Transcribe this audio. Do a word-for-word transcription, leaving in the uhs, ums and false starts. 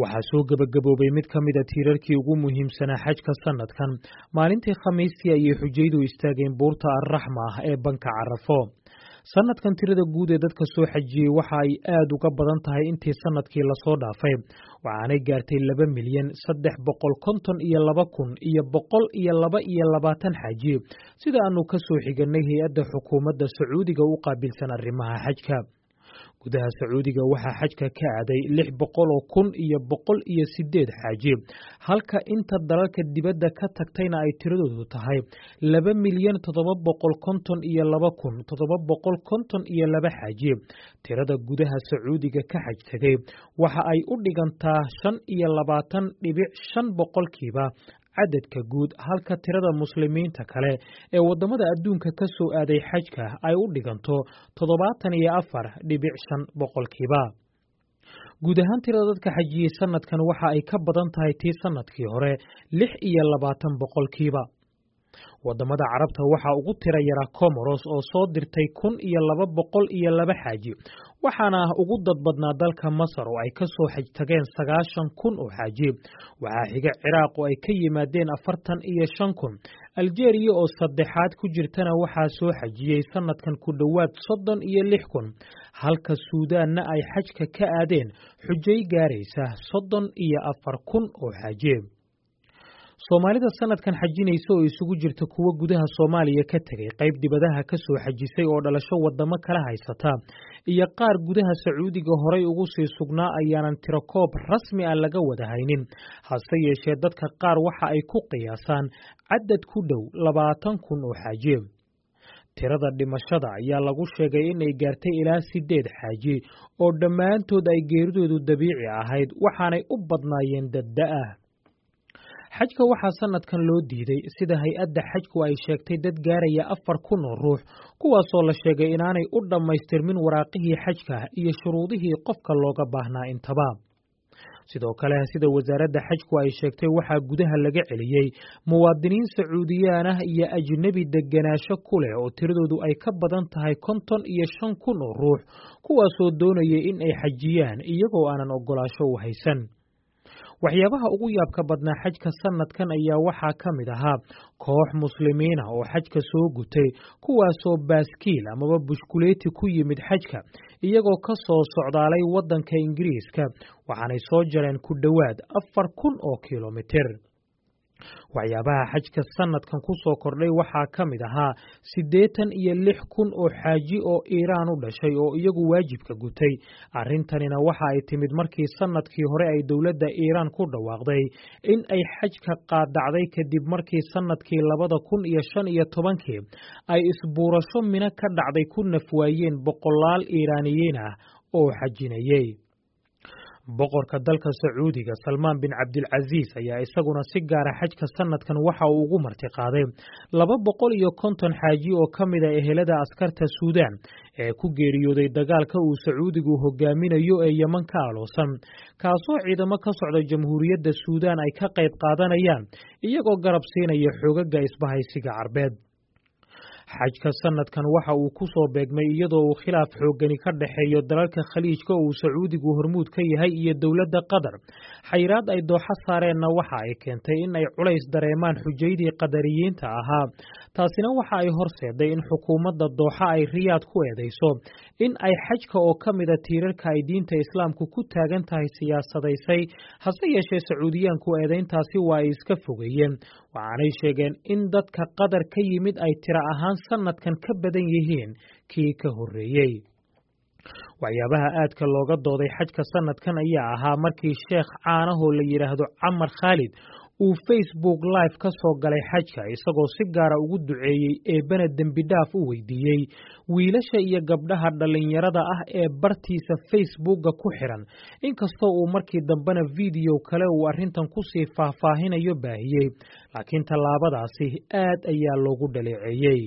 Waxaa soo gebagaboobay mid ka mid a tiirarkii ugu muhiimsanaa xajka sanadkan. Maalintii Khamiistii ayay xujaydu istaageen buurta Arraxma ah ee banka Carafo. Sanadkan tirada guud ee dadka soo xajiyey waxa ay aad uga badan tahay intii sanadkii lasoo dhaafay, waxaanay gaartay laba milyan saddex boqol konton iyo laba kun iyo boqol iyo laba iyo labaatan xaaji, sida aanu ka soo xiganay hay-adda xukuumadda Sacuudiga u qaabilsan arrimaha xajka. Gudaha Sacuudiga waxaa xajka ka aaday lix boqol oo kun iyo boqol iyo sideed xaaji, halka inta dalalka dibadda ka tagtayna ay tiradoodu tahay laba milyan toddoba boqol konton iyo laba kun toddoba boqol konton iyo laba xaaji. Tirada gudaha Sacuudiga ka xaj tegay waxa ay u dhigantaa shan iyo labaatan dhibic shan boqolkiiba cadadka guud, halka tirada muslimiinta kale ee waddamada adduunka ka soo aaday xajka ay u dhiganto toddobaatan iyo afar dhibic shan boqolkiiba. Guud ahaan tirada dadka xajiyey sanadkan waxa ay ka badan tahay tii sanadkii hore lix iyo labaatan boqolkiiba. Wadamada Carabta waxaa ugu tira yaraa Comoros oo soo dirtay kun iyo laba boqol iyo laba xaaji, waxaana ugu dad badnaa dalka Masar oo ay ka soo xaj tageen sagaashan kun oo xaaji. Waxaa xiga Ciraaq oo ay ka yimaadeen afartan iyo shan kun. Aljeeriya oo saddexaad ku jirtana waxaa soo xajiyey sanadkan ku dhowaad soddon iyo lix kun, halka Suudaanna ay xajka ka aadeen xujay gaaraysa soddon iyo afar kun oo xaaji. Soomaalida sanadkan xajinaysa oo isugu jirta kuwo gudaha Soomaaliya ka tegay, qayb dibadaha ka soo xajisay oo dhalasho wadamo kala haysata, iyo qaar gudaha Sacuudiga horay ugu sii sugnaa ayaanan tirakoob rasmi ah laga wada haynin. Hase yeeshee dadka qaar waxa ay ku qiyaasaan cadad ku dhow labaatan kun oo xaaji. Tirada dhimashada ayaa lagu sheegay inay gaartay ilaa sideed xaaji oo dhammaantood ay geeridoodu dabiici ahayd, waxaanay u badnaayeen dadda-ah. Xajka waxaa sanadkan loo diiday, sida hay-adda xajku ay sheegtay, dad gaaraya afar kun oo ruux, kuwaasoo la sheegay inaanay u dhammaystirmin waraaqihii xajka iyo shuruudihii qofka looga baahnaa intaba. Sidoo kale, sida wasaaradda xajku ay sheegtay, waxaa gudaha laga celiyey muwaadiniin Sacuudiyaan ah iyo ajnebi degenaansho ku leh oo tiradoodu ay ka badan tahay konton iyo shan kun oo ruux, kuwaasoo doonayay in ay xajiyaan iyagoo aanan ogolaasho u haysan. Waxyaabaha ugu yaabka badnaa xajka sanadkan ayaa waxaa ka mid ahaa koox muslimiin ah oo xajka soo gutay, kuwaasoo baaskiil amaba bushkuleeti ku yimid xajka iyagoo ka soo socdaalay waddanka Ingiriiska, waxaanay soo jareen ku dhowaad afar kun oo kilomitir. Waxyaabaha xajka sanadkan ku soo kordhay waxaa ka mid ahaa siddeetan iyo lix kun oo xaaji oo Iiraan u dhashay oo iyagu waajibka gutay. Arrintanina waxa ay timid markii sanadkii hore ay dowladda Iiraan ku dhawaaqday in ay xajka qaadacday, kadib markii sanadkii labada kun iyo shan iyo tobankii ay isbuurasho Mino ka dhacday ku nafwaayeen boqolaal Iiraaniyiin ah oo xajinayay. Boqorka dalka Sacuudiga Salmaan bin Cabdilcasiis ayaa isaguna si gaara xajka sanadkan waxa uu ugu martiqaaday laba boqol iyo konton xaaji oo ka mid a ehelada askarta Suudaan ee ku geeriyooday dagaalka uu Sacuudigu hogaaminayo ee Yeman ka aloosan, kaasoo ciidamo ka socda Jamhuuriyadda Suudaan ay ka qayb qaadanayaan iyagoo garab siinaya xoogaga isbahaysiga Carbeed. Xajka sanadkan waxa uu ku soo beegmay iyadoo uu khilaaf xooggani ka dhexeeyo dalalka Khaliijka uu Sacuudigu hormuud ka yahay iyo dowladda Qatar. Xayiraad ay Dooxo saareenna waxa ay keentay in ay culays dareemaan xujaydii Qadariyiinta ahaa. Taasina waxa ay horseeday in xukuumadda Dooxa ay Riyaad ku eedeyso in ay xajka oo ka mida tiirarka ay diinta Islaamku ku taagan tahay siyaasadaysay. Hase yeeshee Sacuudiyaanku eedeyntaasi waa ay iska fogeeyeen, waxaanay sheegeen in dadka Qatar ka yimid ay tiro ahaan sanadkan ka badan yihiin kii ka horreeyey. Waxyaabaha aadka looga dooday xajka sanadkan ayaa ahaa markii sheekh caanahoo la yidhaahdo Camar Khaalid uu Facebook Live ka soo galay xajka, isagoo si gaara ugu duceeyey eebbana dembi dhaaf u weydiiyey wiilasha iyo gabdhaha dhallinyarada ah ee bartiisa Facebooka ku xiran, inkastoo uu markii dambena video kale uu arrintan kusii faahfaahinayo baahiyey, laakiin tallaabadaasi aad ayaa loogu dhaleeceeyey.